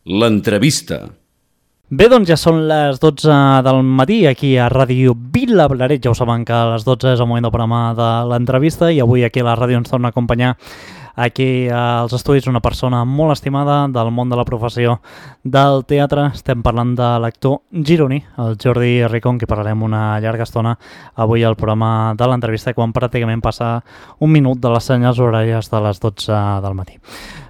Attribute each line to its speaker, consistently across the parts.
Speaker 1: L'entrevista.
Speaker 2: Bé, doncs ja són les 12 del matí aquí a Ràdio Vilablareix. Ja ho saben que a les 12 és el moment del programa de l'entrevista i avui aquí a la ràdio ens torna a acompanyar aquí als estudis una persona molt estimada del món de la professió del teatre. Estem parlant de l'actor gironí, el Jordi Rico, amb qui parlarem una llarga estona avui al programa de l'entrevista quan pràcticament passa un minut de les senyals horàries de les 12 del matí.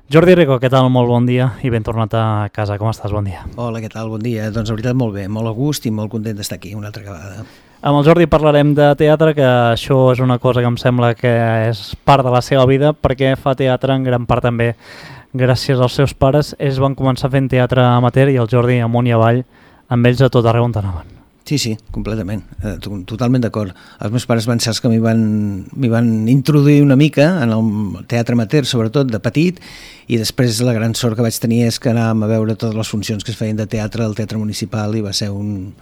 Speaker 2: Jordi Rico, què tal? Molt bon dia i ben tornat a casa. Com estàs? Bon dia.
Speaker 3: Hola, què tal? Bon dia. Doncs la veritat molt bé, molt a gust i molt content d'estar aquí una altra vegada.
Speaker 2: Amb el Jordi parlarem de teatre, que això és una cosa que em sembla que és part de la seva vida, perquè fa teatre en gran part també gràcies als seus pares. Ells van començar fent teatre amateur i el Jordi amunt i avall amb ells a tot arreu on anaven.
Speaker 3: Sí, completament, totalment d'acord. Els meus pares van ser els que m'hi van introduir una mica en el teatre amateur, sobretot de petit, i després la gran sort que vaig tenir és que anàvem a veure totes les funcions que es feien de teatre al Teatre Municipal i va ser un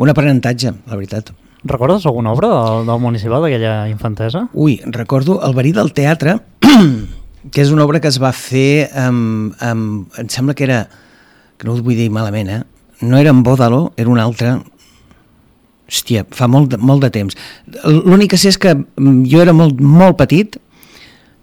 Speaker 3: aprenentatge, la veritat.
Speaker 2: Recordes alguna obra del Municipal d'aquella infantesa?
Speaker 3: Ui, recordo El verí del teatre, que és una obra que es va fer em sembla que era, que no ho vull dir malament, no era en Bòdalo, era un altre. Hòstia, fa molt de temps. L'únic que sé és que jo era molt petit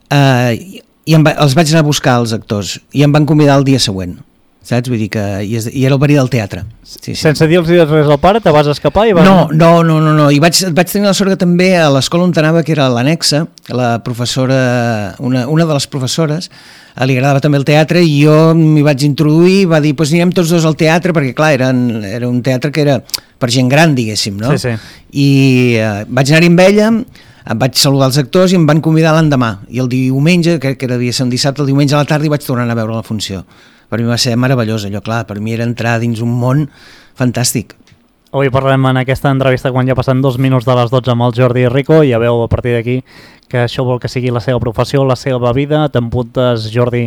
Speaker 3: i els vaig anar a buscar els actors i em van convidar el dia següent, saps? Vull dir que i era el verí del teatre. Sí.
Speaker 2: Sense dir-los res al pare, te vas escapar i vas...
Speaker 3: No. I vaig tenir la sort que també a l'escola on anava, que era l'annexa, la professora, una de les professores, li agradava també el teatre i jo m'hi vaig introduir i va dir, doncs anirem tots dos al teatre, perquè clar, era un teatre que era per gent gran, diguéssim, no?
Speaker 2: Sí.
Speaker 3: I vaig anar-hi amb ella, em vaig saludar els actors i em van convidar l'endemà. I el diumenge, crec que devia ser un dissabte, el diumenge a la tarda hi vaig tornar a veure la funció. Per mi va ser meravellós allò, clar, per mi era entrar dins un món fantàstic.
Speaker 2: Avui parlarem en aquesta entrevista quan ja passen 2 minuts de les 12 amb el Jordi Rico i ja veu a partir d'aquí que això vol que sigui la seva professió, la seva vida. T'empuntes, Jordi,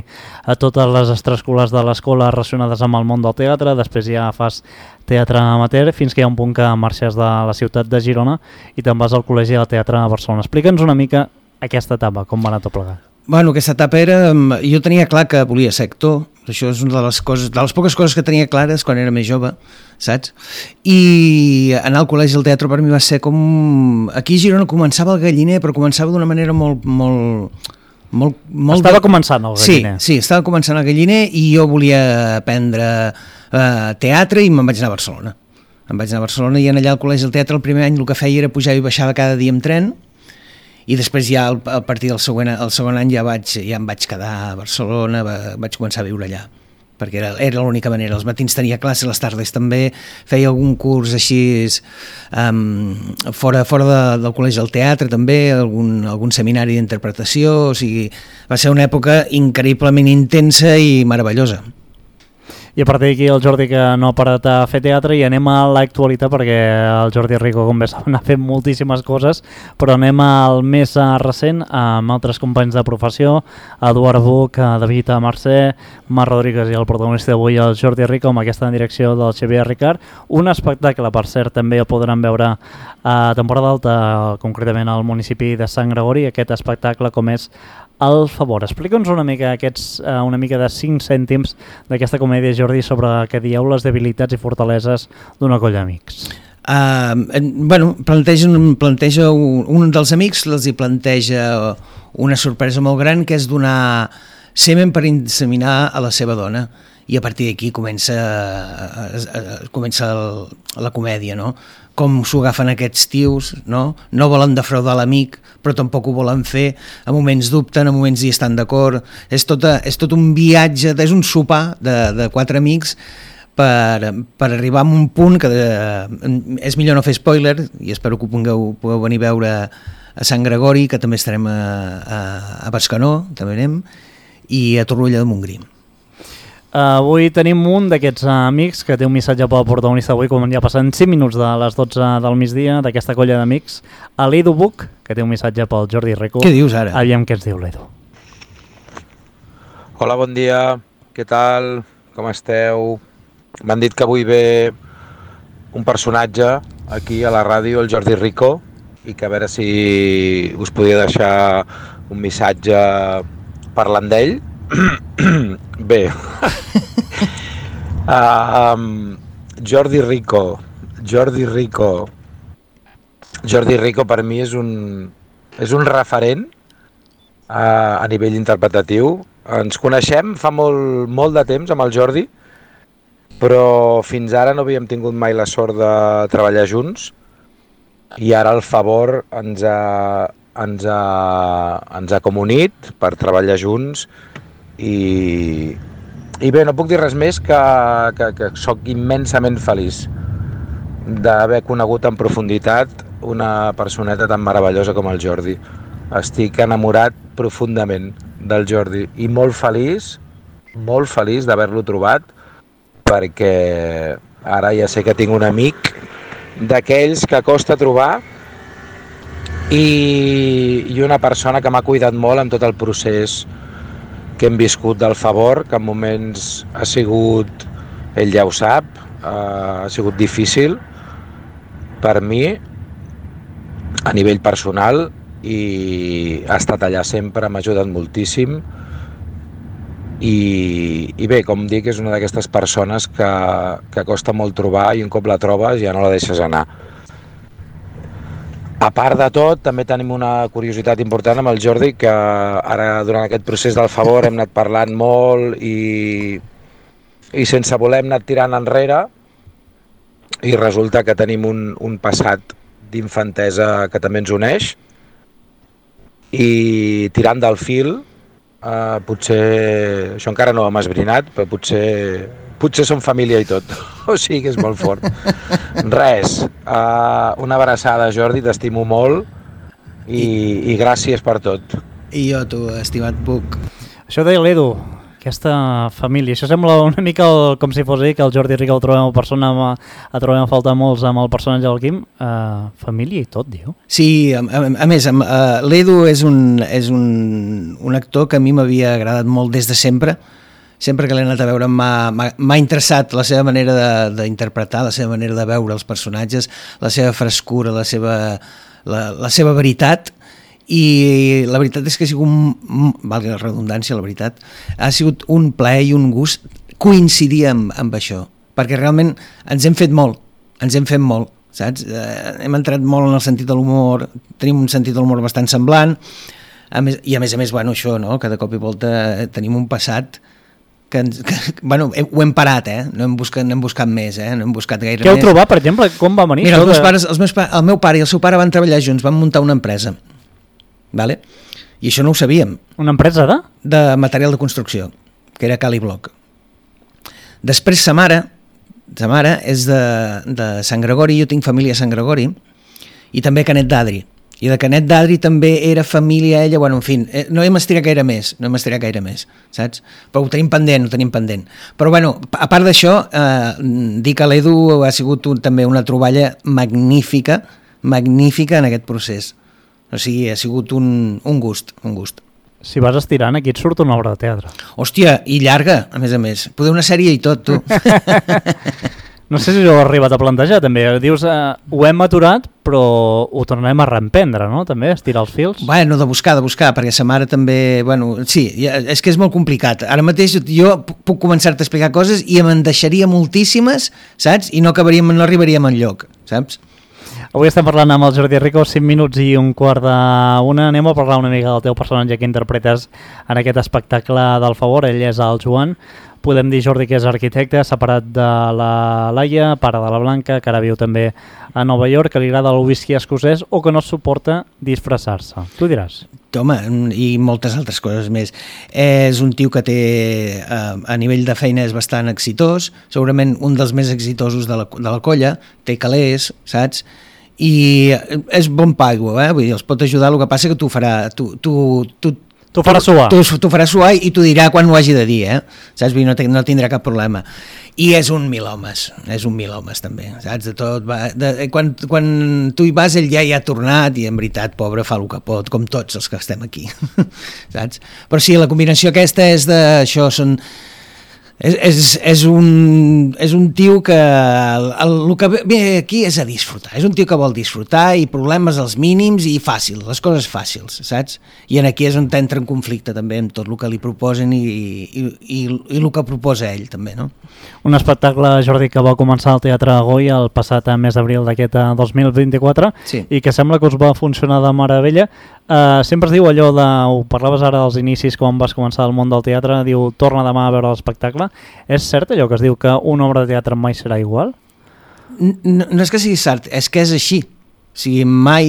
Speaker 2: a totes les extraescolars de l'escola relacionades amb el món del teatre, després ja fas teatre amateur, fins que hi ha un punt que marxes de la ciutat de Girona i te'n vas al Col·legi de Teatre a Barcelona. Explica'ns una mica aquesta etapa, com va anar tot plegat.
Speaker 3: Bueno, aquesta etapa era... Jo tenia clar que volia ser actor, això és una de les poques coses que tenia clares quan era més jove, saps? I anar al col·legi del teatre per mi va ser com... Aquí a Girona començava el Galliner, però començava d'una manera molt...
Speaker 2: Estava començant el Galliner.
Speaker 3: Sí, estava començant el Galliner i jo volia aprendre teatre i me'n vaig anar a Barcelona. Em vaig anar a Barcelona i allà al col·legi del teatre el primer any el que feia era pujar i baixava cada dia amb tren. I després ja a partir del segon any ja em vaig quedar a Barcelona, vaig començar a viure allà, perquè era l'única manera. Els matins tenia classes, les tardes també, feia algun curs així fora del Col·legi del Teatre també, algun seminari d'interpretació, o sigui, va ser una època increïblement intensa i meravellosa.
Speaker 2: I a partir d'aquí el Jordi que no ha parat a fer teatre i anem a l'actualitat perquè el Jordi Rico, com bé saben, ha fet moltíssimes coses, però anem al més recent amb altres companys de professió, Eduard Buch, David Mercè, Marc Rodríguez i el protagonista d'avui, el Jordi Rico, amb aquesta direcció del Xavier Ricart. Un espectacle, per cert, també el podran veure a temporada alta, concretament al municipi de Sant Gregori, aquest espectacle com és El favor. Explica'ns una mica de 5 cèntims d'aquesta comèdia, Jordi, sobre què dieu les debilitats i fortaleses d'una colla d'amics.
Speaker 3: Planteja un dels amics, els hi planteja una sorpresa molt gran, que és donar semen per inseminar a la seva dona. I a partir d'aquí comença la comèdia, no? Com s'ho agafen aquests tios, no? No volen defraudar l'amic, però tampoc ho volen fer, a moments dubten, a moments hi estan d'acord. És tot un viatge, és un sopar de 4 amics per arribar a un punt que és millor no fer spoiler, i espero que pugueu venir a veure a Sant Gregori, que també estarem a Bescanó, també anem, i a Torroella de Montgrí.
Speaker 2: Avui tenim un d'aquests amics que té un missatge pel protagonista avui, com ja passen 5 minuts de les 12 del migdia, d'aquesta colla d'amics, a l'Edu Buch, que té un missatge pel Jordi Rico.
Speaker 3: Què dius ara?
Speaker 2: Aviam què ens diu l'Edu.
Speaker 4: Hola, bon dia, què tal? Com esteu? M'han dit que avui ve un personatge aquí a la ràdio, el Jordi Rico, i que a veure si us podia deixar un missatge parlant d'ell. Bé, Jordi Rico. Jordi Rico per mi és un referent a nivell interpretatiu. Ens coneixem fa molt de temps amb el Jordi, però fins ara no havíem tingut mai la sort de treballar junts i ara el favor ens ha comunit per treballar junts i bé, no puc dir res més que sóc immensament feliç d'haver conegut en profunditat una personeta tan meravellosa com el Jordi. Estic enamorat profundament del Jordi i molt feliç d'haver-lo trobat, perquè ara ja sé que tinc un amic d'aquells que costa trobar i una persona que m'ha cuidat molt en tot el procés que hem viscut del favor, que en moments ha sigut, ell ja ho sap, ha sigut difícil per mi a nivell personal i ha estat allà sempre, m'ha ajudat moltíssim i bé, com dic, és una d'aquestes persones que costa molt trobar i un cop la trobes ja no la deixes anar. A part de tot, també tenim una curiositat important amb el Jordi, que ara durant aquest procés del favor hem anat parlant molt i sense voler hem anat tirant enrere i resulta que tenim un passat d'infantesa que també ens uneix i tirant del fil, potser, això encara no ho hem esbrinat, però potser som família i tot, o sigui que és molt fort. Res, una abraçada, Jordi, t'estimo molt i gràcies per tot.
Speaker 3: I jo, tu, estimat Puc.
Speaker 2: Això deia l'Edu, aquesta família. Això sembla una mica com si fos que el Jordi Rico el trobem a faltar molts amb el personatge del Quim. Família i tot, diu. Sí,
Speaker 3: a més, l'Edu és un actor que a mi m'havia agradat molt des de sempre. Sempre que l'he anat a veure m'ha interessat la seva manera d'interpretar, la seva manera de veure els personatges, la seva frescura, la seva veritat. I la veritat és que ha sigut, valgui la redundància, la veritat, ha sigut un plaer i un gust coincidir amb això, perquè realment ens hem fet molt, saps? Hem entrat molt en el sentit de l'humor, tenim un sentit de l'humor bastant semblant, a més, bueno, això, no? Que de cop i volta tenim un passat que bueno, ho hem parat, no hem buscat més, no hem buscat gaire més.
Speaker 2: Què heu trobat, per exemple? Com va venir?
Speaker 3: Mira, el meu pare i el seu pare van treballar junts, van muntar una empresa, vale? I això no ho sabíem.
Speaker 2: Una empresa de?
Speaker 3: De material de construcció, que era Cali Bloc. Després sa mare és de Sant Gregori, jo tinc família a Sant Gregori, i també Canet d'Adri. I de Canet d'Adri també era família ella, bueno, en fi, no hem estirat gaire més, saps? Però ho tenim pendent. Però bueno, a part d'això, dir que l'Edu ha sigut també una troballa magnífica en aquest procés. O sigui, ha sigut un gust.
Speaker 2: Si vas estirant, aquí et surt una obra de teatre.
Speaker 3: Hòstia, i llarga, a més. Poder una sèrie i tot, tu.
Speaker 2: No sé si ho he arribat a plantejar, també. Dius, ho hem aturat, però ho tornarem a reemprendre, no? També, estirar els fils.
Speaker 3: Bueno, de buscar, perquè sa mare també... Bueno, sí, és que és molt complicat. Ara mateix jo puc començar-te a explicar coses i me'n deixaria moltíssimes, saps? I no arribaríem enlloc, saps?
Speaker 2: Avui estem parlant amb el Jordi Rico, 5 minuts i un quart d'una. Anem a parlar una mica del teu personatge que interpretes en aquest espectacle del favor. Ell és el Joan. Podem dir, Jordi, que és arquitecte, separat de la Laia, pare de la Blanca, que ara viu també a Nova York, que li agrada el whisky escocès o que no suporta disfressar-se. Tu diràs.
Speaker 3: Home, i moltes altres coses més. És un tio que té, a nivell de feina és bastant exitós, segurament un dels més exitosos de la colla, té calés, saps? I és bon paio, vull dir, els pot ajudar, el que passa que t'ho farà...
Speaker 2: T'ho farà suar.
Speaker 3: T'ho farà suar i t'ho dirà quan ho hagi de dir, saps? No tindrà cap problema. I és un mil homes també, saps? De tot, quan tu hi vas ell ja hi ha tornat i en veritat, pobre, fa el que pot, com tots els que estem aquí, saps? Però sí, la combinació aquesta és d'això, És un tio que el que ve aquí és a disfrutar, és un tio que vol disfrutar i problemes als mínims i fàcils, les coses fàcils, saps? I aquí és on entra en conflicte també amb tot el que li proposen i el que proposa ell també, no?
Speaker 2: Un espectacle, Jordi, que va començar al Teatre Goya el passat mes d'abril d'aquest 2024
Speaker 3: sí.
Speaker 2: I que sembla que us va funcionar de meravella. Sempre es diu allò de, ho parlaves ara dels inicis quan vas començar al món del teatre, diu torna demà a veure l'espectacle. És cert allò que es diu que una obra de teatre mai serà igual?
Speaker 3: No és que sigui cert, és que és així. O sigui, mai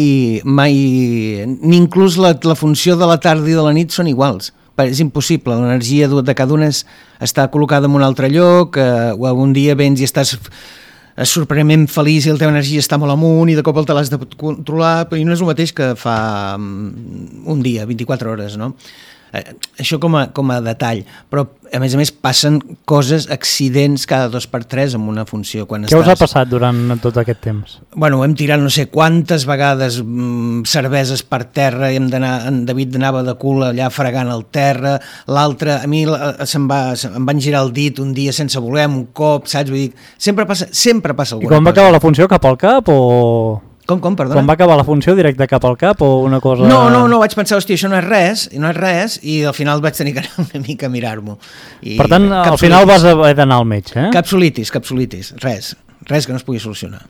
Speaker 3: ni inclús la funció de la tarda i de la nit són iguals. És impossible, l'energia de cada una està col·locada en un altre lloc, o algun dia vens i estàs sorprenentment feliç i la teva energia està molt amunt i de cop te l'has de controlar, però no és el mateix que fa un dia, 24 hores, no? Això com a detall, però a més passen coses, accidents cada 2x3 en una funció.
Speaker 2: Què us ha passat durant tot aquest temps?
Speaker 3: Bueno, hem tirat no sé quantes vegades cerveses per terra, en David anava de cul allà fregant el terra, l'altre, a mi em van girar el dit un dia sense voler, un cop, saps? Vull dir, sempre passa alguna cosa.
Speaker 2: I quan va acabar la funció, cap al cap o...?
Speaker 3: Com, perdona?
Speaker 2: Quan va acabar la funció, directe cap al cap o una cosa...
Speaker 3: No, vaig pensar, hòstia, això no és res, i al final vaig tenir que anar una mica a mirar-m'ho.
Speaker 2: Per tant, al final vas haver d'anar al metge, eh?
Speaker 3: Capsulitis, res que no es pugui solucionar.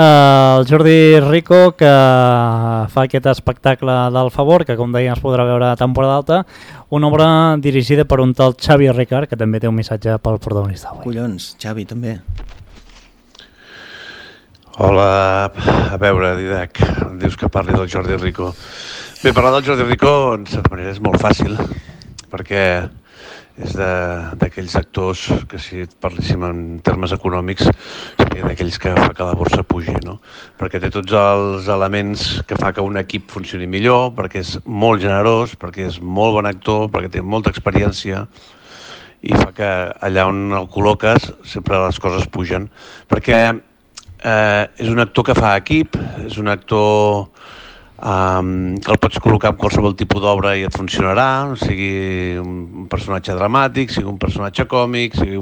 Speaker 2: El Jordi Rico, que fa aquest espectacle del Favor, que com deia es podrà veure a temporada alta, una obra dirigida per un tal Xavi Ricard, que també té un missatge pel protagonista avui.
Speaker 3: Collons, Xavi, també.
Speaker 1: Hola, a veure, Didac, dius que parli del Jordi Rico. Bé, parlar del Jordi Rico, en certa manera, és molt fàcil, perquè és d'aquells actors que, si parléssim en termes econòmics, seria d'aquells que fa que la borsa pugi, no? Perquè té tots els elements que fa que un equip funcioni millor, perquè és molt generós, perquè és molt bon actor, perquè té molta experiència, i fa que allà on el col·loques sempre les coses pugen. Perquè és un actor que fa equip, és un actor que el pots col·locar en qualsevol tipus d'obra i et funcionarà, sigui un personatge dramàtic, sigui un personatge còmic, sigui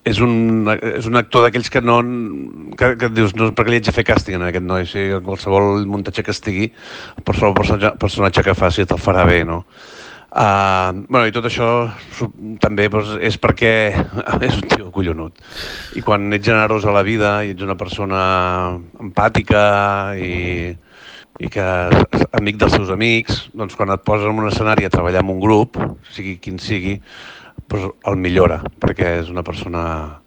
Speaker 1: és un actor d'aquells que dius, no, per què li haig de fer càsting a aquest noi? Si qualsevol muntatge que estigui, qualsevol personatge que faci te'l farà bé, no? I tot això també és perquè és un tio collonut, i quan ets generós a la vida i ets una persona empàtica i que és amic dels seus amics, doncs quan et poses en un escenari a treballar amb un grup, sigui quin sigui, doncs el millora, perquè és una persona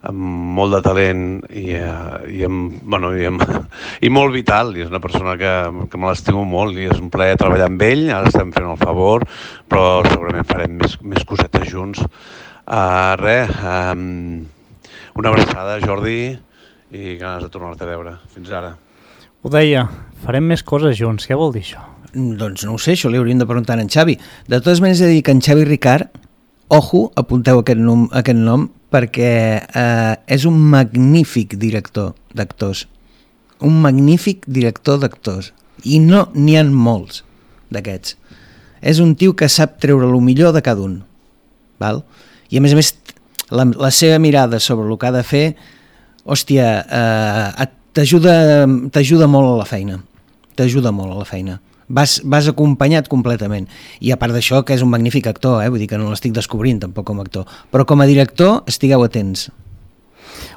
Speaker 1: amb molt de talent i molt vital, i és una persona que me l'estimo molt i és un plaer treballar amb ell. Ara estem fent el Favor, però segurament farem més cosetes junts. Una abraçada, Jordi, i ganes de tornar-te a veure. Fins ara.
Speaker 2: Ho deia, farem més coses junts. Què vol dir això?
Speaker 3: Doncs no ho sé, això li hauríem de preguntar a en Xavi. De totes maneres, he de dir que en Xavi Ricard, ojo, apunteu aquest nom, perquè és un magnífic director d'actors. Un magnífic director d'actors. I no n'hi ha molts d'aquests. És un tio que sap treure el millor de cada un. Val? I a més, la seva mirada sobre el que ha de fer, hòstia, t'ajuda molt a la feina. T'ajuda molt a la feina. Vas acompanyat completament, i a part d'això que és un magnífic actor, vull dir que no l'estic descobrint tampoc com a actor, però com a director estigueu atents.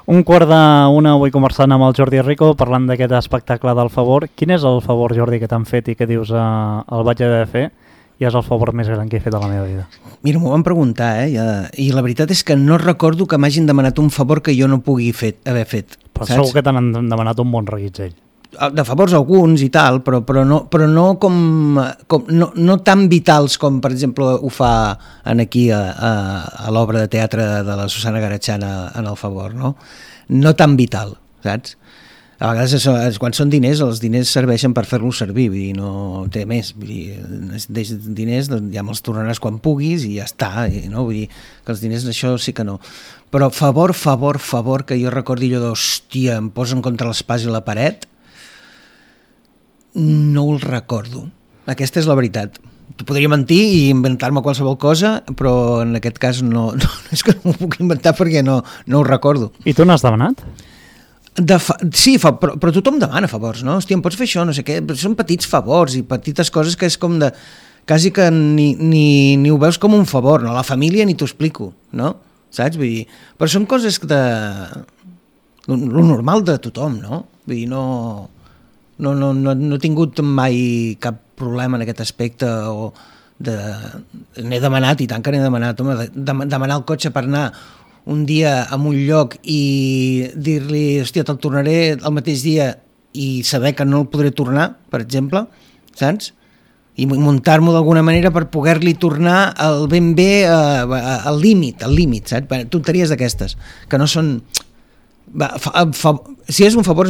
Speaker 2: 12:45 avui conversant amb el Jordi Rico, parlant d'aquest espectacle del Favor. Quin és el favor, Jordi, que t'han fet i que dius el vaig haver de fer i és el favor més gran que he fet a la meva vida?
Speaker 3: Mira, m'ho van preguntar, i la veritat és que no recordo que m'hagin demanat un favor que jo no pugui haver fet.
Speaker 2: Però saps? Segur que t'han demanat un bon reguitzell.
Speaker 3: De favors alguns i tal, però no tan vitals com, per exemple, ho fa aquí a l'obra de teatre de la Susana Garachana en el Favor, no? No tan vital, saps? A vegades, quan són diners, els diners serveixen per fer-los servir, vull dir, no té més. Vull dir, diners ja me'ls tornaràs quan puguis i ja està, no? Vull dir que els diners, això sí que no. Però favor, que jo recordi allò d'hòstia, em posen contra l'espàs i la paret, no el recordo. Aquesta és la veritat. Podria mentir i inventar-me qualsevol cosa, però en aquest cas no és que no ho puc inventar perquè no ho recordo.
Speaker 2: I tu n'has demanat?
Speaker 3: Sí, però tothom demana favors, no? Hòstia, em pots fer això, no sé què. Són petits favors i petites coses que és com de... Quasi que ni ho veus com un favor, no? La família ni t'ho explico, no? Saps? Vull dir, però són coses de... lo normal de tothom, no? Vull dir, no he tingut mai cap problema en aquest aspecte o n'he demanat, i tant que n'he demanat, home, demanar el cotxe per anar un dia a un lloc i dir-li, hòstia, te'l tornaré el mateix dia i saber que no el podré tornar, per exemple, saps? I muntar-m'ho d'alguna manera per poder-li tornar ben bé al límit, saps? Tonteries d'aquestes, que no són... Si és un favor,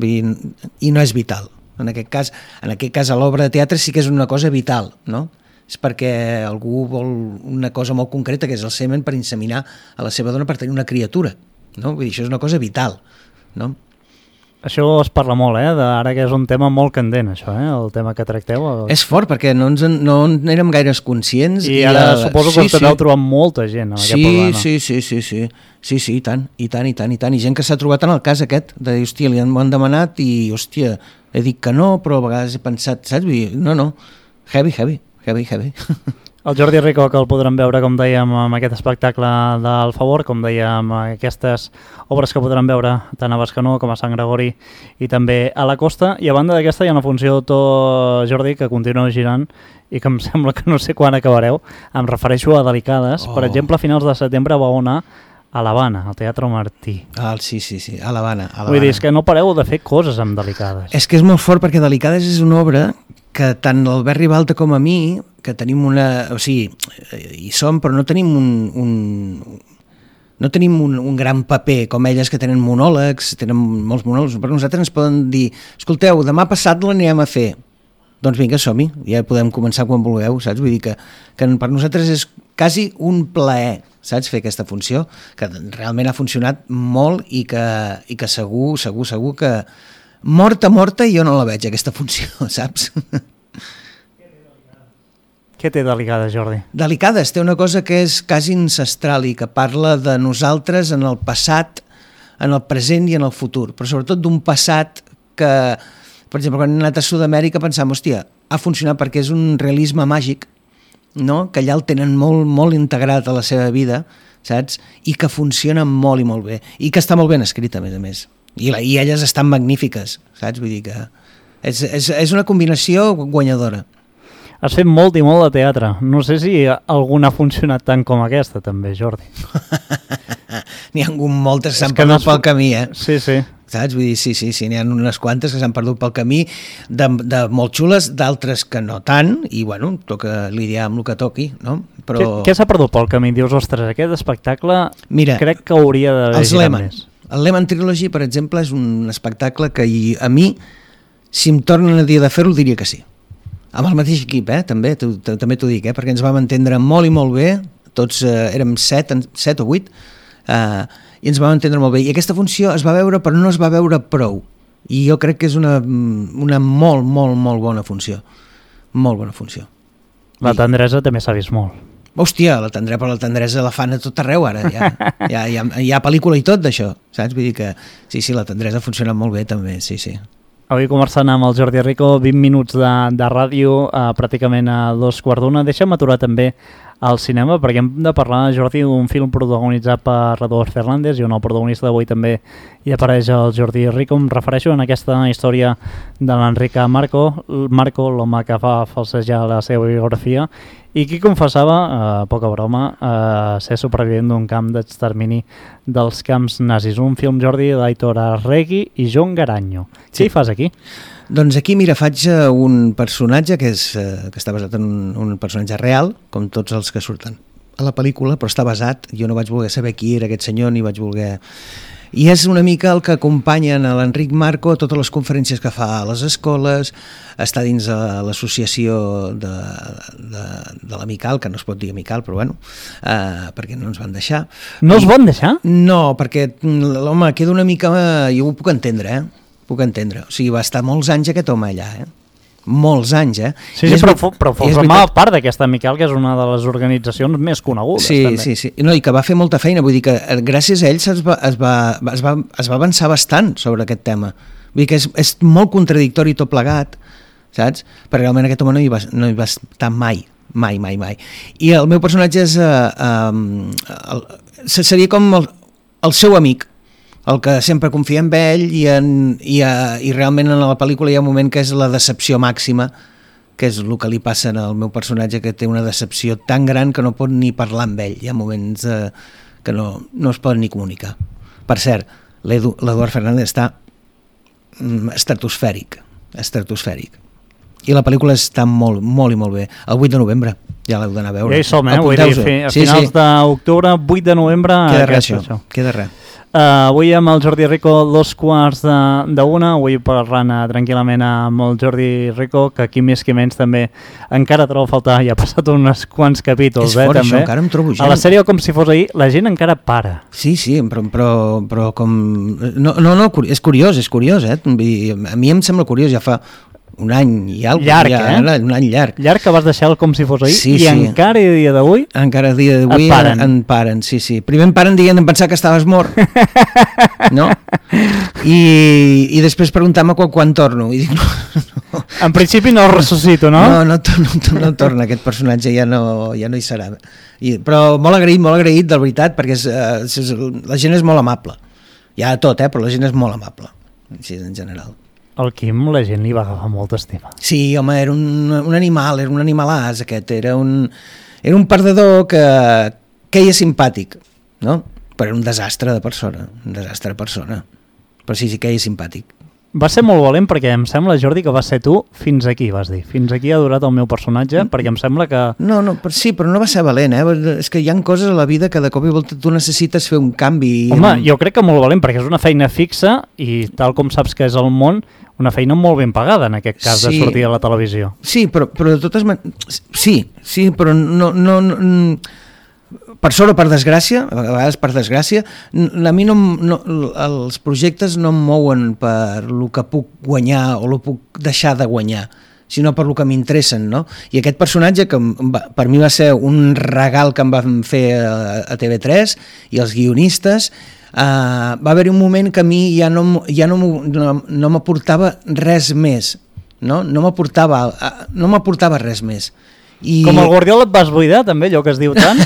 Speaker 3: i no és vital. En aquest cas a l'obra de teatre sí que és una cosa vital, no? És perquè algú vol una cosa molt concreta, que és el semen per inseminar a la seva dona per tenir una criatura, no? Vull dir, això és una cosa vital, no?
Speaker 2: Això es parla molt, ara que és un tema molt candent, això, el tema que tracteu.
Speaker 3: És fort, perquè no érem gaires conscients.
Speaker 2: I ara suposo que us deveu trobar molta gent en aquest programa.
Speaker 3: Sí, i tant. I gent que s'ha trobat en el cas aquest, de dir, hòstia, li han demanat i, hòstia, he dit que no, però a vegades he pensat, saps? No, heavy.
Speaker 2: El Jordi Rico, que el podrem veure, com dèiem, amb aquest espectacle del Favor, com dèiem, aquestes obres que podrem veure tant a Bescanó com a Sant Gregori i també a la Costa. I a banda d'aquesta hi ha una funció, Jordi, que continua girant i que em sembla que no sé quan acabareu. Em refereixo a Delicades. Per exemple, a finals de setembre vau anar a l'Havana, al Teatre Martí.
Speaker 3: Sí, a l'Havana.
Speaker 2: Vull dir, és que no pareu de fer coses amb Delicades.
Speaker 3: És que és molt fort, perquè Delicades és una obra que tant l'Albert Ribalta com a mi, que tenim una... O sigui, hi som, però no tenim no tenim un gran paper com elles, que tenen monòlegs, tenen molts monòlegs. Per nosaltres ens poden dir, escolteu, demà passat l'anirem a fer. Doncs vinga, som-hi, ja podem començar quan vulgueu, saps? Vull dir que per nosaltres és quasi un plaer, saps, fer aquesta funció, que realment ha funcionat molt i que segur que morta jo no la veig, aquesta funció, saps?
Speaker 2: Què té Delicades, Jordi?
Speaker 3: Delicades té una cosa que és quasi ancestral i que parla de nosaltres en el passat, en el present i en el futur, però sobretot d'un passat que, per exemple, quan hem anat a Sud-amèrica pensàvem, hòstia, ha funcionat perquè és un realisme màgic, no? Que allà el tenen molt, molt integrat a la seva vida, saps? I que funciona molt i molt bé, i que està molt ben escrit, a més. I elles estan magnífiques, saps? Vull dir que és una combinació guanyadora.
Speaker 2: Has fet molt i molt de teatre. No sé si alguna ha funcionat tant com aquesta, també, Jordi.
Speaker 3: N'hi ha moltes que s'han perdut pel camí,
Speaker 2: Sí.
Speaker 3: Saps? Vull dir, sí, n'hi ha unes quantes que s'han perdut pel camí, de molt xules, d'altres que no tant, i bueno, toca lidiar amb el que toqui, no? Però...
Speaker 2: Què s'ha perdut pel camí? Dius, ostres, aquest espectacle crec que hauria d'haver girat més.
Speaker 3: El Lehman Trilogy, per exemple, és un espectacle que a mi, si em tornen a dir de fer-ho, diria que sí. Amb el mateix equip, també t'ho dic, perquè ens vam entendre molt i molt bé, tots érem 7 o 8, i ens vam entendre molt bé. I aquesta funció es va veure, però no es va veure prou. I jo crec que és una molt, molt, molt bona funció. Molt bona funció.
Speaker 2: La tendresa també s'ha vist molt.
Speaker 3: Hòstia, la tendresa la fan a tot arreu ara. Hi ha pel·lícula i tot d'això, saps? Vull dir que sí, la tendresa ha funcionat molt bé també, sí.
Speaker 2: Avui conversant amb el Jordi Rico, 20 minuts de ràdio, pràcticament a 2:15. Deixa'm aturar també al cinema, perquè hem de parlar, Jordi, d'un film protagonitzat per Rodolfo Fernández, i on el protagonista d'avui també hi apareix el Jordi Rico. Em refereixo en aquesta història de l'Enric Marco, l'home que fa falsejar la seva biografia, i qui confessava, poca broma, ser supervivent d'un camp d'extermini dels camps nazis. Un film, Jordi, d'Aitor Arregui i Jon Garanyo. Sí. Què hi fas aquí?
Speaker 3: Doncs aquí, mira, faig un personatge que està basat en un personatge real, com tots els que surten a la pel·lícula, però està basat, jo no vaig voler saber qui era aquest senyor, ni vaig voler... I és una mica el que acompanyen a l'Enric Marco a totes les conferències que fa a les escoles, està dins de l'associació de l'Amical, que no es pot dir Amical, però bueno, perquè no ens van deixar.
Speaker 2: No us van deixar?
Speaker 3: No, perquè l'home queda una mica... Jo ho puc entendre, Puc entendre. O sigui, va estar molts anys aquest home allà, molts anys,
Speaker 2: Sí, però formava part d'aquesta Miquel, que és una de les organitzacions més conegudes.
Speaker 3: Sí,
Speaker 2: també.
Speaker 3: sí. No, i que va fer molta feina, vull dir que gràcies a ell es va avançar bastant sobre aquest tema. Vull dir que és molt contradictori tot plegat, saps? Perquè realment aquest home no hi va estar mai. I el meu personatge seria com el seu amic, el que sempre confia en ell i realment en la pel·lícula hi ha un moment que és la decepció màxima, que és el que li passa al meu personatge, que té una decepció tan gran que no pot ni parlar amb ell. Hi ha moments que no es poden ni comunicar. Per cert, l'Eduard Fernández està estratosfèric. I la pel·lícula està molt, molt i molt bé. El 8 de novembre ja l'heu d'anar a veure.
Speaker 2: Ja hi som, vull dir, a finals d'octubre, 8 de novembre...
Speaker 3: Queda res.
Speaker 2: Avui amb el Jordi Rico 2:45, avui parlant tranquil·lament amb el Jordi Rico, que aquí més que menys també encara trobo a faltar, ja ha passat uns quants capítols.
Speaker 3: És fort,
Speaker 2: també.
Speaker 3: això, encara em trobo gent.
Speaker 2: A la sèrie, com si fos ahir, la gent encara para.
Speaker 3: Sí, però com... No, és curiós, a mi em sembla curiós, ja fa un any i alguna cosa.
Speaker 2: Llarg,
Speaker 3: un any llarg.
Speaker 2: Llarg que vas deixar com si fos ahir,
Speaker 3: sí.
Speaker 2: encara a dia d'avui...
Speaker 3: Encara a dia d'avui en paren, sí. Primer em paren dient em pensar que estaves mort, no? I després preguntar-me quan torno. I dic, no.
Speaker 2: En principi no el ressuscito, no?
Speaker 3: No torna, aquest personatge ja no hi serà. Però molt agraït, de veritat, perquè la gent és molt amable. Hi ha de tot, però la gent és molt amable, així en general.
Speaker 2: El Quim, la gent li va agafar molta estima.
Speaker 3: Sí, home, era un animal, era un animalàs aquest, era un perdedor que queia simpàtic, no? Però era un desastre de persona, però sí, queia simpàtic.
Speaker 2: Va ser molt valent perquè em sembla, Jordi, que va ser tu fins aquí, vas dir. Fins aquí ha durat el meu personatge, perquè em sembla que...
Speaker 3: No, sí, però no va ser valent, És que hi ha coses a la vida que de cop i volta tu necessites fer un canvi.
Speaker 2: Home, jo crec que molt valent, perquè és una feina fixa i tal com saps que és el món, una feina molt ben pagada, en aquest cas, de sortir a la televisió.
Speaker 3: Sí, però de totes maneres... Sí, però no... Per sort o per desgràcia, a vegades per desgràcia, a mi els projectes no em mouen per el que puc guanyar o el que puc deixar de guanyar, sinó per el que m'interessen, no? I aquest personatge, que per mi va ser un regal que em van fer a TV3 i els guionistes, va haver-hi un moment que a mi ja no m'aportava res més, no m'aportava res més.
Speaker 2: Com el Guardiola et vas buidar, també, allò que es diu tant?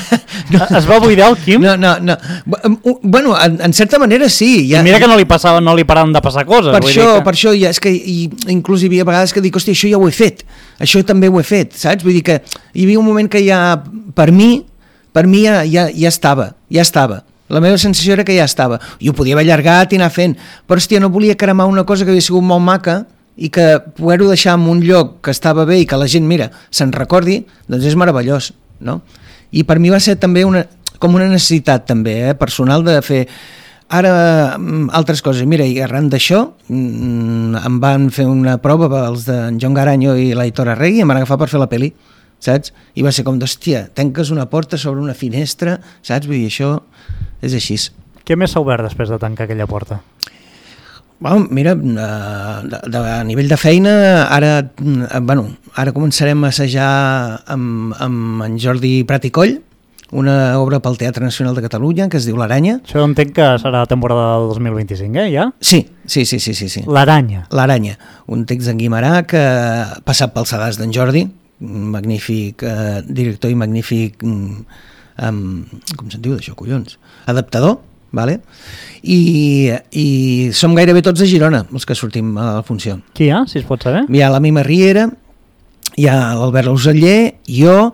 Speaker 2: Es va buidar el Quim?
Speaker 3: No. Bueno, en certa manera sí.
Speaker 2: I mira que no li paraven de passar coses.
Speaker 3: Per això, és que inclús hi havia vegades que dic, hòstia, això ja ho he fet, això també ho he fet, saps? Vull dir que hi havia un moment que ja, per mi ja estava. La meva sensació era que ja estava. I ho podia haver allargat i anar fent, però hòstia, no volia cremar una cosa que havia sigut molt maca i que poder-ho deixar en un lloc que estava bé i que la gent, mira, se'n recordi, doncs és meravellós, no? I per mi va ser també com una necessitat també, personal, de fer ara altres coses. Mira, i arran d'això em van fer una prova els d'en John Garanyo i l'Aitor Arregui i em van agafar per fer la pel·li, saps? I va ser com d'hòstia, tanques una porta sobre una finestra, saps? Vull dir, això és així.
Speaker 2: Què més s'ha obert després de tancar aquella porta?
Speaker 3: Bueno, mira, a nivell de feina, ara començarem a assajar amb en Jordi Prat i Coll, una obra pel Teatre Nacional de Catalunya que es diu L'Aranya.
Speaker 2: Això entenc que serà temporada del 2025, ja?
Speaker 3: Sí.
Speaker 2: L'Aranya.
Speaker 3: Un text d'en Guimarà que ha passat pel sedàs d'en Jordi, magnífic director i magnífic, com se'n diu d'això, collons? Adaptador. Vale? I som gairebé tots a Girona, els que sortim a la funció.
Speaker 2: Qui hi ha, si es pot saber?
Speaker 3: Hi ha la Mima Riera, hi ha l'Albert Lauseller, jo...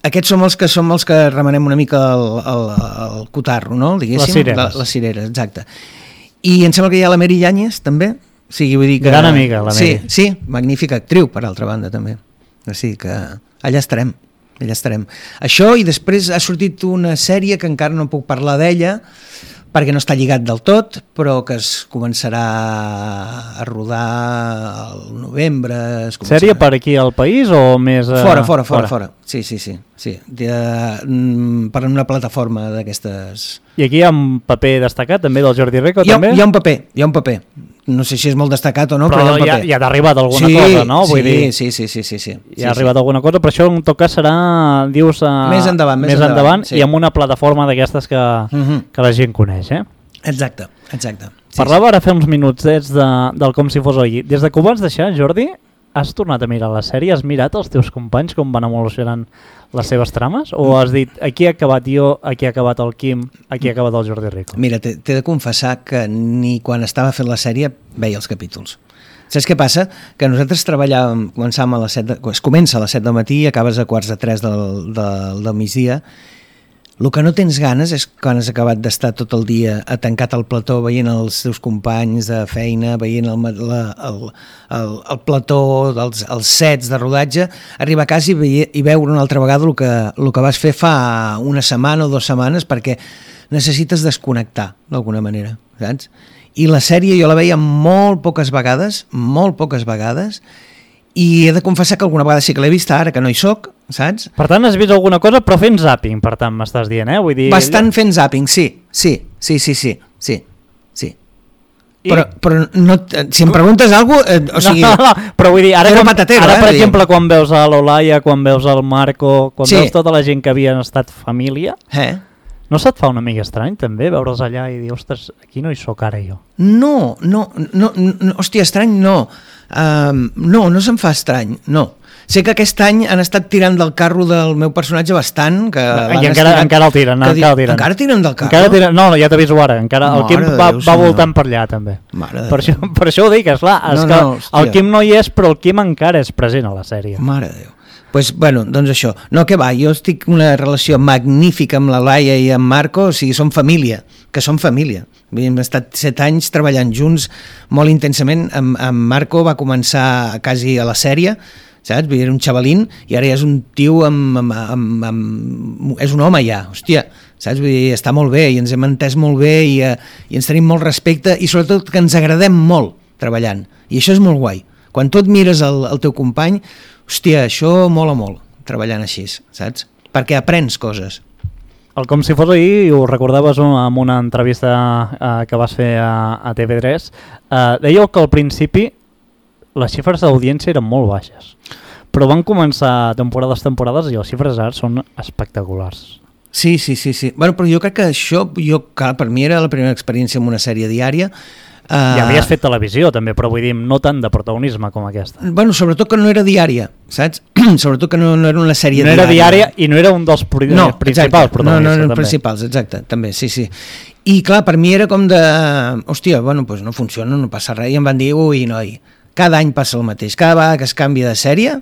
Speaker 3: Aquests som els que remenem una mica el cotarro, no?
Speaker 2: Les cireres.
Speaker 3: Les cireres, exacte. I em sembla que hi ha la Meri Yáñez, també. O sigui, vull dir que...
Speaker 2: Gran amiga, la Meri.
Speaker 3: Sí, magnífica actriu, per altra banda, també. O sigui que allà estarem. Això, i després ha sortit una sèrie que encara no puc parlar d'ella perquè no està lligat del tot, però que es començarà a rodar al novembre.
Speaker 2: Sèrie per aquí al país o més...
Speaker 3: Fora. Sí. Per una plataforma d'aquestes...
Speaker 2: I aquí hi ha un paper destacat també del Jordi Rico,
Speaker 3: també?
Speaker 2: Hi ha
Speaker 3: un paper. no sé si és molt destacat o no,
Speaker 2: però
Speaker 3: però
Speaker 2: ja t'ha arribat alguna cosa, no? Vull dir,
Speaker 3: sí.
Speaker 2: Ja ha arribat alguna cosa, però això en tot cas serà, dius,
Speaker 3: més endavant
Speaker 2: i amb una plataforma d'aquestes que la gent coneix, eh?
Speaker 3: Exacte.
Speaker 2: Parlava ara fa uns minuts del Com si fos ahir. Des de que ho vas deixar, Jordi, has tornat a mirar la sèrie? Has mirat els teus companys com van evolucionant les seves trames? O has dit, aquí ha acabat jo, aquí ha acabat el Quim, aquí ha acabat el Jordi Rico?
Speaker 3: Mira, t'he de confessar que ni quan estava fent la sèrie veia els capítols. Saps què passa? Que nosaltres treballàvem, es comença a les 7 del matí i acabes a 2:45 del migdia. El que no tens ganes és quan has acabat d'estar tot el dia tancat al plató veient els teus companys de feina, veient el plató, els sets de rodatge, arribar a casa i veure una altra vegada el que vas fer fa una setmana o 2 setmanes, perquè necessites desconnectar d'alguna manera, saps? I la sèrie jo la veia molt poques vegades, i he de confessar que alguna vegada sí que l'he vista, ara que no hi soc, saps?
Speaker 2: Per tant, has vist alguna cosa, però fent zapping, per tant, m'estàs dient, eh? Vull dir...
Speaker 3: Bastant fent zapping, sí. Però no, si em preguntes alguna cosa... O sigui,
Speaker 2: no, però vull dir, ara per exemple,
Speaker 3: diguem.
Speaker 2: Quan veus a l'Olaia, quan veus al Marco, quan veus tota la gent que havien estat família, no se't fa una mica estrany, també, veure'ls allà i dir, ostres, aquí no hi soc ara jo?
Speaker 3: No, hòstia, estrany no. No se'm fa estrany, no. Sé que aquest any han estat tirant del carro del meu personatge bastant.
Speaker 2: I encara el tiren.
Speaker 3: Encara tiren del carro?
Speaker 2: No, ja t'aviso ara. El Quim va voltant per allà, també. Per això ho dic, esclar. El Quim no hi és, però el Quim encara és present a la sèrie.
Speaker 3: Mare de Déu. Pues, bueno, doncs això. No, què va, jo estic en una relació magnífica amb la Laia i amb Marco, o sigui, som família, Hem estat 7 anys treballant junts molt intensament. Amb Marco va començar quasi a la sèrie, saps? Era un xavalín i ara ja és un tio és un home ja, hòstia, saps? Vull dir, està molt bé i ens hem entès molt bé i ens tenim molt respecte i sobretot que ens agradem molt treballant. I això és molt guai. Quan tu et mires el teu company, hòstia, això mola molt, treballant així, saps? Perquè aprens coses.
Speaker 2: El Com si fos ahir, ho recordaves en una entrevista que vas fer a TV3, dèieu que al principi les xifres d'audiència eren molt baixes, però van començar temporades i les xifres ara són espectaculars.
Speaker 3: Sí. Bueno, però jo crec que això, clar, per mi era la primera experiència amb una sèrie diària.
Speaker 2: Ja havies fet televisió també, però vull dir, no tant de protagonisme com aquesta.
Speaker 3: Bueno, sobretot que no era diària, saps? Sobretot que no era una sèrie diària.
Speaker 2: No era diària i no era un dels principals protagonistes.
Speaker 3: No eren principals, exacte, també, sí. I clar, per mi era com de... Hòstia, bueno, doncs no funciona, no passa res. I em van dir, ui, noi, cada any passa el mateix. Cada vegada que es canvia de sèrie,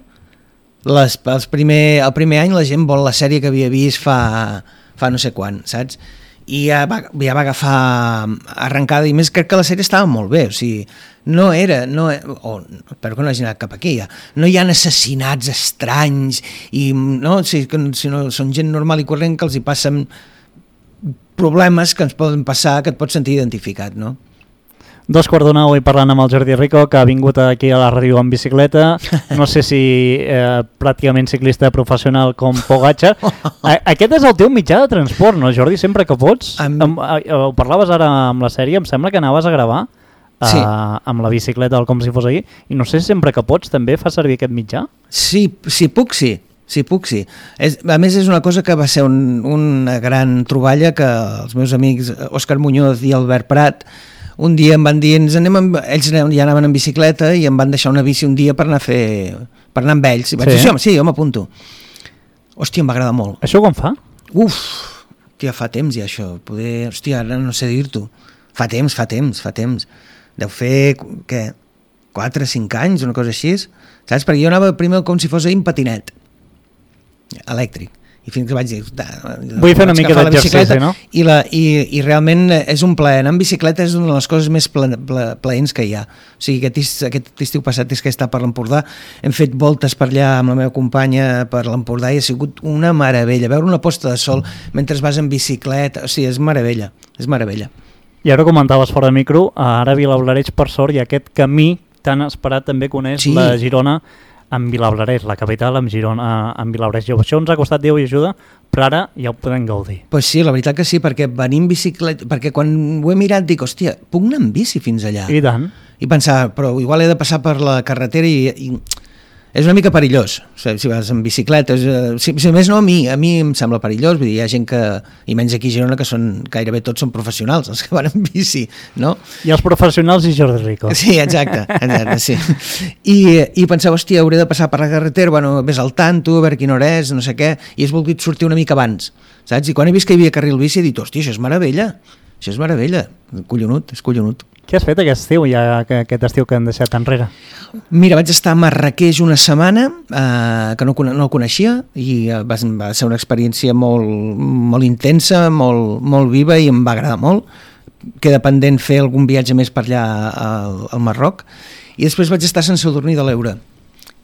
Speaker 3: el primer any la gent vol la sèrie que havia vist fa no sé quan, saps? I ja va agafar arrencada i més crec que la sèrie estava molt bé, o sigui, espero que no hagi anat cap aquí ja, no hi ha assassinats estranys i no, sinó són gent normal i corrent que els hi passen problemes que ens poden passar, que et pots sentir identificat, no?
Speaker 2: 2:45 i parlant amb el Jordi Rico, que ha vingut aquí a la ràdio en bicicleta, no sé si pràcticament ciclista professional com Pogacar. Aquest és el teu mitjà de transport, no, Jordi? Sempre que pots. Ho parlaves ara amb la sèrie, em sembla que anaves a gravar amb la bicicleta del Com si fos ahir, i no sé si sempre que pots també fa servir aquest mitjà?
Speaker 3: Sí, puc, sí. A més, és una cosa que va ser una gran troballa que els meus amics Òscar Muñoz i Albert Prat un dia em van dir, ells ja anaven en bicicleta i em van deixar una bici un dia per anar amb ells. I vaig dir, sí, jo m'apunto. Hòstia, em va agradar molt.
Speaker 2: Això com fa?
Speaker 3: Hòstia, fa temps ja això. Hòstia, ara no sé dir-t'ho. Fa temps. Deu fer, 4 o 5 anys, una cosa així. Saps? Perquè jo anava primer com si fos en patinet elèctric. I fins que vaig dir...
Speaker 2: Vull fer una mica d'exercici, no?
Speaker 3: I realment és un plaer. Anar en bicicleta és una de les coses més plaents que hi ha. O sigui, aquest estiu passat és que he estat per l'Empordà, hem fet voltes per allà amb la meva companya per l'Empordà i ha sigut una meravella. Veure una posta de sol mentre vas en bicicleta, o sigui, és meravella.
Speaker 2: I ara comentaves fora de micro, ara a Vilablareix, per sort, i aquest camí tan esperat també coneix la Girona amb Vilablareix, la capital amb Girona, amb Vilablareix. Això ens ha costat Déu i ajuda, però ara ja ho podem gaudir.
Speaker 3: Pues sí, la veritat que sí, perquè venir en bicicleta, perquè quan ho he mirat dic, hòstia, puc anar en bici fins allà?
Speaker 2: I tant.
Speaker 3: i pensava, però igual he de passar per la carretera i és una mica perillós, si vas en bicicleta, si més no a mi em sembla perillós, vull dir, hi ha gent que, i menys aquí a Girona, que gairebé tots són professionals, els que van en bici, no?
Speaker 2: I els professionals i Jordi Rico.
Speaker 3: Sí, exacte, sí. I pensava, hòstia, hauré de passar per la carretera, bueno, vés al tanto, a veure quina hora és, no sé què, i has volgut sortir una mica abans, saps? I quan he vist que hi havia carril bici he dit, hòstia, això és meravella, collonut, és collonut.
Speaker 2: Què has fet aquest estiu, ja aquest estiu que han deixat enrere?
Speaker 3: Mira, vaig estar a Marràqueix una setmana, que no el coneixia, i va ser una experiència molt intensa, molt viva, i em va agradar molt. Queda pendent fer algun viatge més per allà al Marroc, i després vaig estar a Sant Sadurní de l'Eure,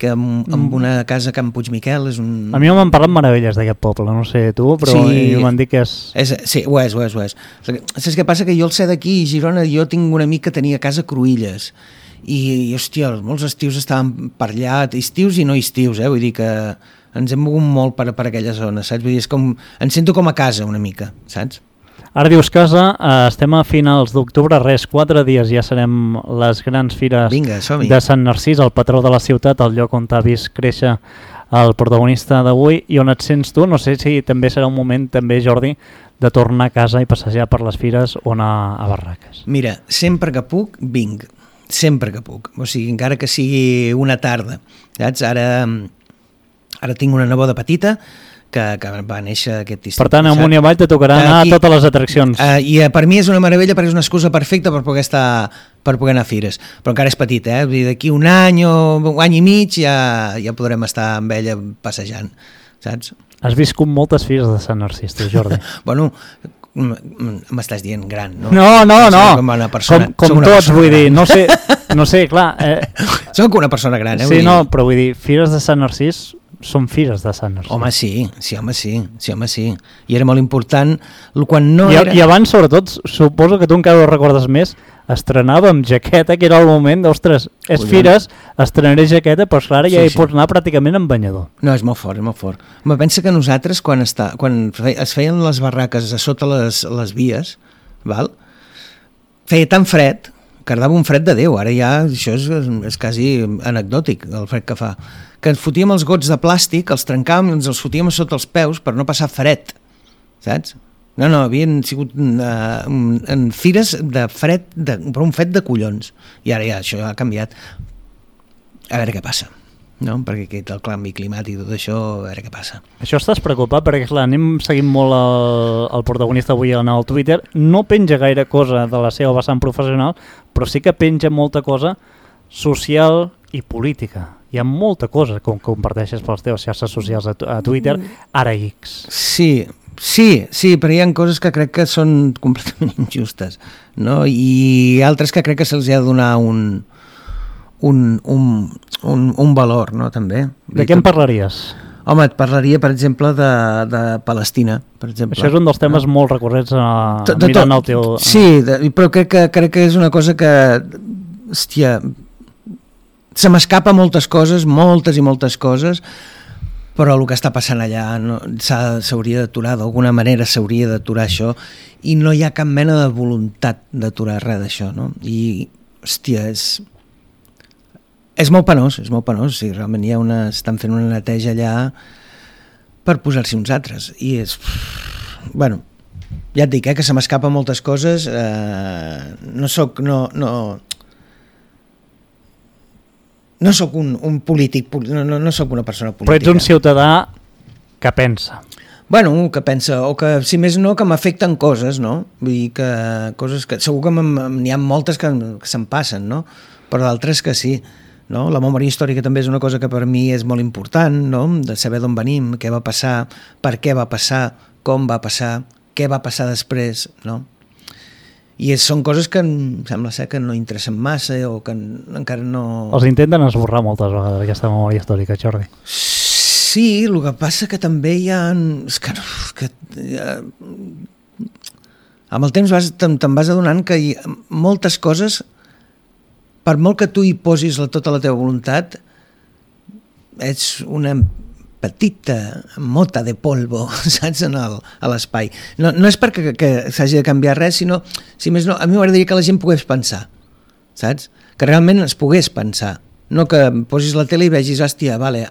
Speaker 3: que amb una casa a Can Puigmiquel és un...
Speaker 2: A mi m'han parlat meravelles d'aquest poble, no sé tu, però sí, m'han dit que és...
Speaker 3: Sí, ho és. Saps què passa? Que jo al ser d'aquí, a Girona, jo tinc un amic que tenia casa a Cruïlles, i hòstia, molts estius estàvem per allà, estius i no estius, vull dir que ens hem mogut molt per aquella zona, saps? Vull dir, em sento com a casa una mica, saps?
Speaker 2: Ara dius casa, estem a finals d'octubre, 4 dies ja serem les grans fires de Sant Narcís, el patró de la ciutat, el lloc on t'ha vist créixer el protagonista d'avui, i on et sents tu. No sé si també serà un moment, també Jordi, de tornar a casa i passejar per les fires o anar a barraques.
Speaker 3: Mira, sempre que puc, vinc, sempre que puc, o sigui, encara que sigui una tarda, saps? Ara tinc una neboda petita, que va néixer aquest estiu.
Speaker 2: Per tant, amunt i avall te tocarà anar a totes les atraccions.
Speaker 3: I per mi és una meravella perquè és una excusa perfecta per poder anar a fires. Però encara és petit, Vull dir, d'aquí un any o un any i mig ja podrem estar amb ella passejant, saps?
Speaker 2: Has viscut moltes fires de Sant Narcís, tu, Jordi.
Speaker 3: Bueno, m'estàs dient gran, no?
Speaker 2: No. Com tots, vull dir, no sé, clar.
Speaker 3: Soc una persona gran,
Speaker 2: Sí, no, però vull dir, fires de Sant Narcís són fires de Sant Narcís.
Speaker 3: Home, sí. I era molt important quan no
Speaker 2: era... I abans, sobretot, suposo que tu encara ho recordes més, estrenava amb jaqueta, que era el moment d'ostres, fires, estrenaré jaqueta, però clar, ja hi pots anar pràcticament en banyador.
Speaker 3: No, és molt fort. Me pensa que nosaltres, quan es feien les barraques a sota les vies, val? Feia tan fred que dava un fred de Déu. Ara ja això és quasi anecdòtic, el fred que fa. Que ens fotíem els gots de plàstic, els trencàvem i ens els fotíem a sota els peus per no passar fred, saps? No, havien sigut en fires de fred, però un fred de collons. I ara ja això ha canviat. A veure què passa, no? Perquè aquest el canvi climàtic i tot això, a veure què passa.
Speaker 2: Això estàs preocupat? Perquè clar, anem seguint molt el protagonista avui en el Twitter. No penja gaire cosa de la seva vessant professional, però sí que penja molta cosa social i política. Hi ha molta cosa que comparteixes per les teves xarxes socials a Twitter, ara X. Sí, però hi ha coses que crec que són completament injustes, no? I altres que crec que se'ls ha de donar un valor, no? També. De què em parlaries?
Speaker 3: Home, et parlaria, per exemple, de Palestina, per exemple.
Speaker 2: Això és un dels temes molt recurrents mirant el teu...
Speaker 3: Sí, però crec que és una cosa que... Hòstia... Se m'escapa moltes i moltes coses, però el que està passant allà s'hauria d'aturar, d'alguna manera s'hauria d'aturar això, i no hi ha cap mena de voluntat d'aturar res d'això, no? I, hòstia, és molt penós, o sigui, realment estan fent una neteja allà per posar-s'hi uns altres, i és... Bueno, ja et dic, que se m'escapa moltes coses, no soc un polític, no soc una persona política.
Speaker 2: Però ets un ciutadà que pensa.
Speaker 3: Bueno, que pensa, o que, si més no, que m'afecten coses, no? Vull dir que coses que... Segur que n'hi ha moltes que se'n passen, no? Però d'altres que sí, no? La memòria històrica també és una cosa que per mi és molt important, no? De saber d'on venim, què va passar, per què va passar, com va passar, què va passar després, no? I són coses que em sembla ser que no interessen massa o que encara no...
Speaker 2: Els intenten esborrar moltes vegades aquesta memòria històrica, Jordi.
Speaker 3: Sí, el que passa que també hi ha... amb el temps te'n vas adonant que moltes coses, per molt que tu hi posis tota la teva voluntat, ets una petita mota de polvo, saps, a l'espai. No és perquè que s'hagi de canviar res, sinó, si més no, a mi m'agradaria que la gent pogués pensar, saps? que realment es pogués pensar, no que posis la tele i vegis, hòstia, vale,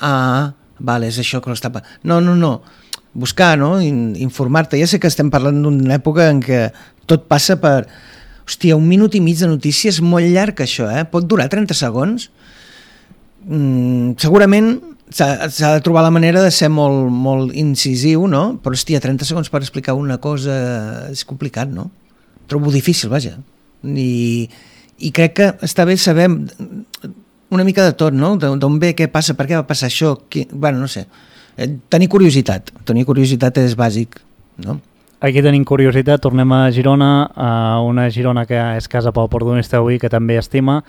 Speaker 3: és això que l'està... No, buscar, no? Informar-te. Ja sé que estem parlant d'una època en què tot passa per... Hòstia, 1 minut i mig de notícies, molt llarg això, pot durar 30 segons. Segurament s'ha de trobar la manera de ser molt incisiu, no? Però hòstia, 30 segons per explicar una cosa és complicat, no? Trobo difícil, vaja. I crec que està bé saber una mica de tot, no? D'on ve, què passa, per què va passar això, bueno, no sé. Tenir curiositat és bàsic, no?
Speaker 2: Aquí tenim curiositat, tornem a Girona, a una Girona que és casa pel Portudonista avui, que també estima,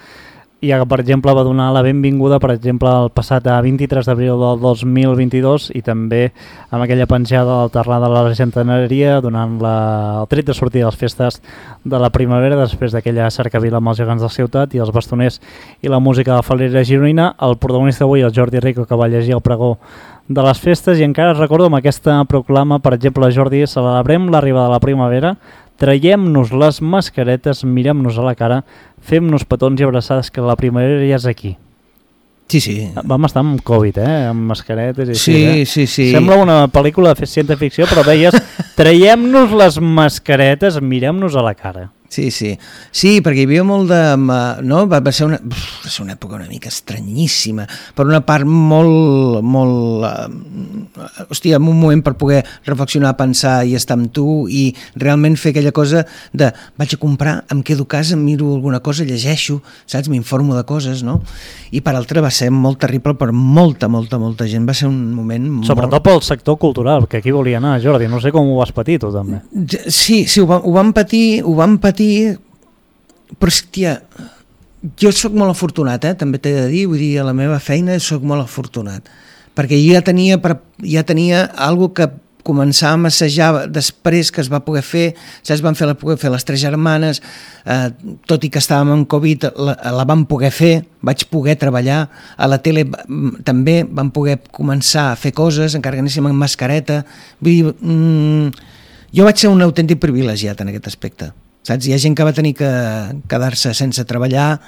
Speaker 2: i que, per exemple, va donar la benvinguda, per exemple, el passat 23 d'abril del 2022 i també amb aquella penjada del terrà de la Centenaria donant el tret de sortir de les festes de la primavera després d'aquella cercavila amb els gegants de la ciutat i els bastoners i la música de la falera gironina. El protagonista avui, el Jordi Rico, que va llegir el pregó de les festes, i encara recordo amb aquesta proclama, per exemple, Jordi, celebrem l'arribada de la primavera, traiem-nos les mascaretes, mirem-nos a la cara, fem-nos petons i abraçades, que la primavera ja és aquí.
Speaker 3: Sí.
Speaker 2: Vam estar amb Covid, amb mascaretes i
Speaker 3: així. Sí.
Speaker 2: Sembla una pel·lícula de ciència-ficció, però veies, traiem-nos les mascaretes, mirem-nos a la cara. Sí, perquè hi havia molt de... No? Va ser una època una mica estranyíssima, per una part molt... Hòstia, en un moment per poder reflexionar, pensar i estar amb tu i realment fer aquella cosa de vaig a comprar, em quedo a casa, miro alguna cosa, llegeixo, saps? M'informo de coses, no? I per altra va ser molt terrible per molta gent, va ser un moment... Sobretot pel sector cultural, que aquí volia anar, Jordi, no sé com ho vas patir tu també.
Speaker 3: Sí, ho vam patir, però hòstia, jo sóc molt afortunat, també t'he de dir, vull dir, a la meva feina sóc molt afortunat, perquè jo ja tenia algo que començàvem a assajar després que es va poder fer, saps, vam poder fer les 3 germanes, tot i que estàvem en Covid, la vam poder fer, vaig poder treballar, a la tele també vam poder començar a fer coses, encara que anéssim amb mascareta, vull dir, jo vaig ser un autèntic privilegiat en aquest aspecte. Saps? Hi ha gent que va tenir que quedar-se sense treballar.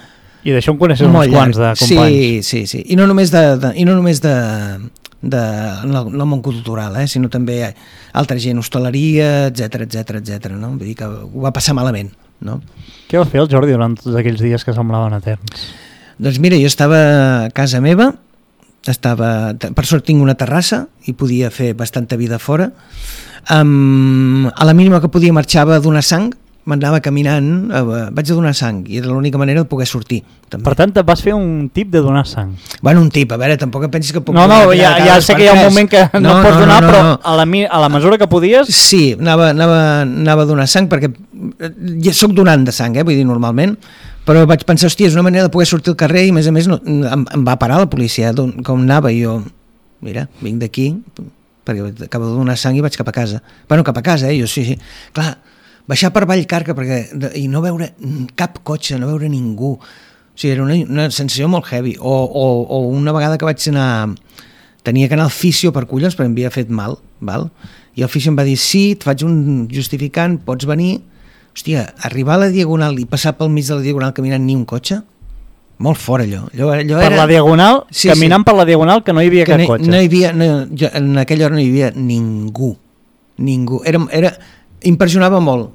Speaker 2: I d'això en coneixes uns quants de companys.
Speaker 3: Sí. I no només de el món cultural, sinó també altra gent, hostaleria, etc. No? Vull dir que ho va passar malament. No?
Speaker 2: Què va fer el Jordi durant tots aquells dies que semblaven eterns?
Speaker 3: Doncs mira, jo estava a casa meva, per sort tinc una terrassa i podia fer bastanta vida fora. A la mínima que podia marxava a donar sang, m'anava caminant, vaig a donar sang i era l'única manera de poder sortir també.
Speaker 2: Per tant, vas fer un tip de donar sang.
Speaker 3: Bueno, un tip, a veure, tampoc em pensis que puc
Speaker 2: ja sé que hi ha un moment que no pots donar, però a la mesura que podies...
Speaker 3: Sí, anava a donar sang perquè ja soc donant de sang, vull dir, normalment, però vaig pensar, hòstia, és una manera de poder sortir al carrer i a més em va parar la policia com anava i jo, mira, vinc d'aquí perquè acabo de donar sang i vaig cap a casa. Bueno, cap a casa, jo sí. Clar, baixar per Vallcarca i no veure cap cotxe, no veure ningú, o sigui, era una sensació molt heavy. O una vegada que vaig anar, tenia que anar al fisio per collons perquè em havia fet mal, val? I el fisio em va dir, sí, et faig un justificant, pots venir. Hòstia, arribar a la Diagonal i passar pel mig de la Diagonal caminant ni un cotxe, molt fort allò
Speaker 2: per la Diagonal, caminant per la Diagonal, que no hi havia cap cotxe.
Speaker 3: En aquella hora no hi havia ningú. Impressionava molt.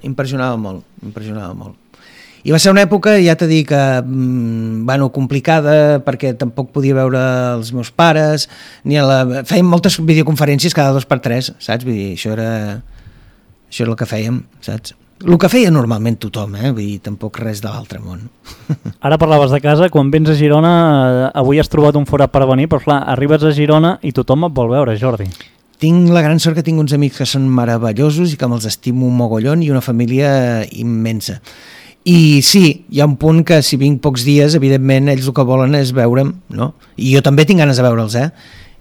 Speaker 3: I va ser una època, ja t'he dit, complicada, perquè tampoc podia veure els meus pares, fèiem moltes videoconferències cada 2x3, saps? Vull dir, això era el que fèiem, saps? El que feia normalment tothom, vull dir, tampoc res de l'altre món.
Speaker 2: Ara parlaves de casa, quan vens a Girona, avui has trobat un forat per venir, però clar, arribes a Girona i tothom et vol veure, Jordi.
Speaker 3: Tinc la gran sort que tinc uns amics que són meravellosos i que me'ls estimo un mogollon i una família immensa. I sí, hi ha un punt que si vinc pocs dies, evidentment, ells el que volen és veure'm, no? I jo també tinc ganes de veure'ls,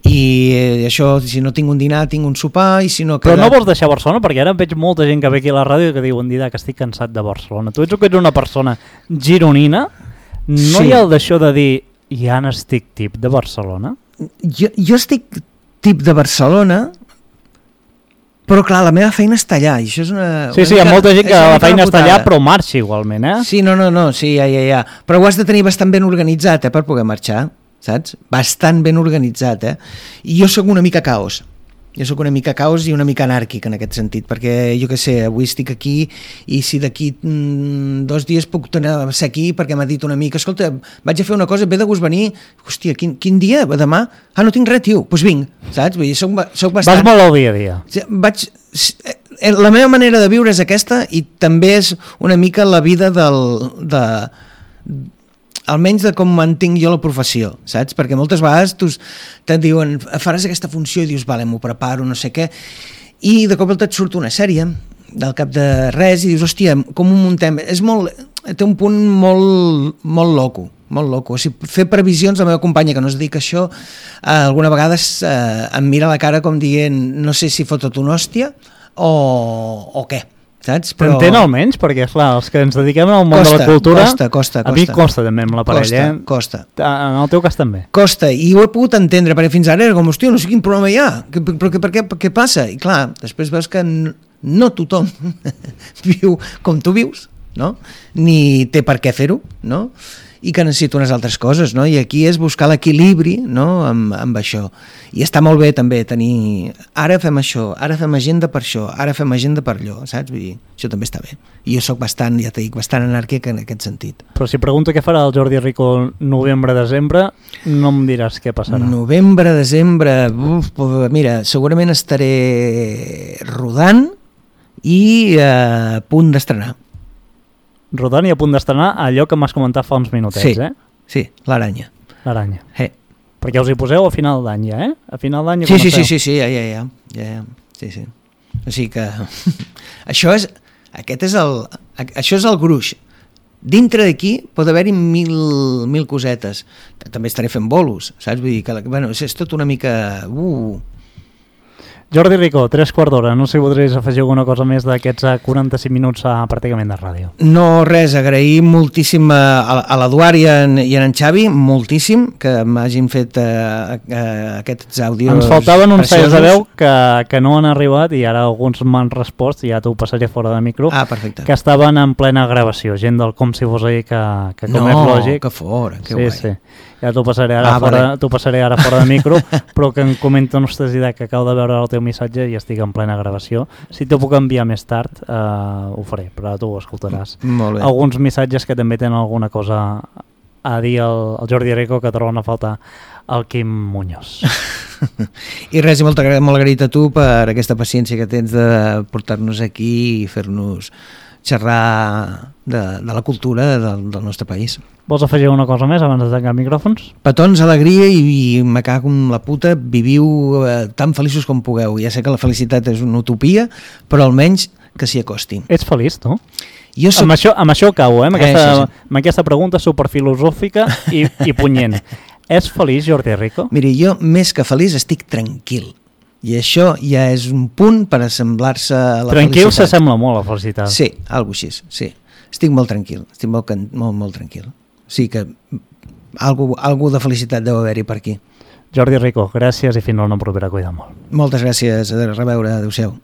Speaker 3: I això, si no tinc un dinar, tinc un sopar, i si no...
Speaker 2: Però no vols deixar Barcelona? Perquè ara veig molta gent que ve aquí a la ràdio que diuen, Didac, estic cansat de Barcelona. Tu ets una persona gironina, no hi ha el d'això de dir, ja n'estic tip de Barcelona?
Speaker 3: Jo estic tip de Barcelona, Però clar, la meva feina està allà, i això és una...
Speaker 2: Sí, hi ha molta gent que la feina està allà però marxa igualment, eh?
Speaker 3: Sí, no, sí, ja. Però ho has de tenir bastant ben organitzat, per poder marxar, saps? Bastant ben organitzat, I jo sóc una mica caos. Jo sóc una mica caos i una mica anàrquic en aquest sentit, perquè jo què sé, avui estic aquí i si d'aquí 2 dies puc tornar a ser aquí perquè m'ha dit un amic, escolta, vaig a fer una cosa, ve de gust venir, hòstia, quin dia? Demà? Ah, no tinc res, tio, doncs vinc, saps? Vull dir, soc bastant...
Speaker 2: Vas molt al dia a dia.
Speaker 3: La meva manera de viure és aquesta i també és una mica la vida almenys de com mantinc jo la professió, saps? Perquè moltes vegades te'n diuen, faràs aquesta funció i dius, vale, m'ho preparo, no sé què, i de cop et surt una sèrie del cap de res i dius, hòstia, com ho muntem? Té un punt molt loco, molt loco. O sigui, fer previsions, la meva companya que no es dedica a això, alguna vegada em mira a la cara com dient, no sé si fotot una hòstia o què. Saps? Però...
Speaker 2: T'entén almenys? Perquè, clar, els que ens dediquem al món de la cultura...
Speaker 3: Costa.
Speaker 2: A mi costa també amb la parella.
Speaker 3: Costa.
Speaker 2: En el teu cas també.
Speaker 3: Costa, i ho he pogut entendre, perquè fins ara era com, hòstia, no sé quin problema hi ha, però què passa? I clar, després veus que no tothom viu com tu vius, no? Ni té per què fer-ho, no? I que necessita unes altres coses, no? I aquí és buscar l'equilibri, no? amb això. I està molt bé també tenir, ara fem això, ara fem agenda per això, ara fem agenda per allò, saps? Vull dir, això també està bé. I jo soc bastant, ja t'he dit, bastant anàrquic en aquest sentit.
Speaker 2: Però si pregunto què farà el Jordi Rico novembre-desembre, no em diràs què passarà.
Speaker 3: Novembre-desembre, mira, segurament estaré rodant i a punt d'estrenar.
Speaker 2: Rodant i a punt d'estrenar allò que m'has comentat fa uns minutets,
Speaker 3: Sí, l'Aranya.
Speaker 2: L'Aranya. Perquè us hi poseu a final d'any ja, A final d'any ja
Speaker 3: comenceu. Sí, ja. Sí. O sigui que això és el gruix. Dintre d'aquí pot haver-hi mil cosetes. També estaré fent bolos, saps? Vull dir que és tot una mica...
Speaker 2: Jordi Rico, 3/4 no sé si voldries afegir alguna cosa més d'aquests 45 minuts pràcticament de ràdio.
Speaker 3: No, res, agrair moltíssim a l'Eduard i en Xavi, moltíssim, que m'hagin fet aquests àudios.
Speaker 2: Ens faltaven uns talls de veu que no han arribat i ara alguns m'han respost i ja t'ho passaré fora de micro.
Speaker 3: Perfecte.
Speaker 2: Que estaven en plena gravació, gent del Com si fos ahir que com és lògic.
Speaker 3: No, que fora, que guai.
Speaker 2: Sí. Ja t'ho passaré ara fora de micro, però que em comenten vostès que acabo de veure el teu missatge i estic en plena gravació. Si t'ho puc enviar més tard, ho faré, però tu ho escoltaràs.
Speaker 3: Molt bé.
Speaker 2: Alguns missatges que també tenen alguna cosa a dir al Jordi Rico que troben a faltar el Quim Muñoz.
Speaker 3: I res, molt agraït a tu per aquesta paciència que tens de portar-nos aquí i fer-nos xerrar de la cultura del nostre país.
Speaker 2: Vols afegir una cosa més abans de tancar micròfons?
Speaker 3: Petons, alegria i me cago en la puta, viviu tan feliços com pugueu. Ja sé que la felicitat és una utopia, però almenys que s'hi acosti.
Speaker 2: Ets feliç, tu?
Speaker 3: Jo soc...
Speaker 2: Amb això acabo, amb aquesta pregunta superfilosòfica i punyent. És feliç, Jordi Rico?
Speaker 3: Miri, jo més que feliç estic tranquil. I això ja és un punt per assemblar-se a la
Speaker 2: tranquil
Speaker 3: felicitat.
Speaker 2: S'assembla molt a la felicitat.
Speaker 3: Sí, alguna cosa així, sí. Estic molt tranquil, estic molt tranquil. O sigui que algú de felicitat deu haver-hi per aquí.
Speaker 2: Jordi Rico, gràcies i fins a una propera. Cuida molt.
Speaker 3: Moltes gràcies, a reveure, adéu-siau.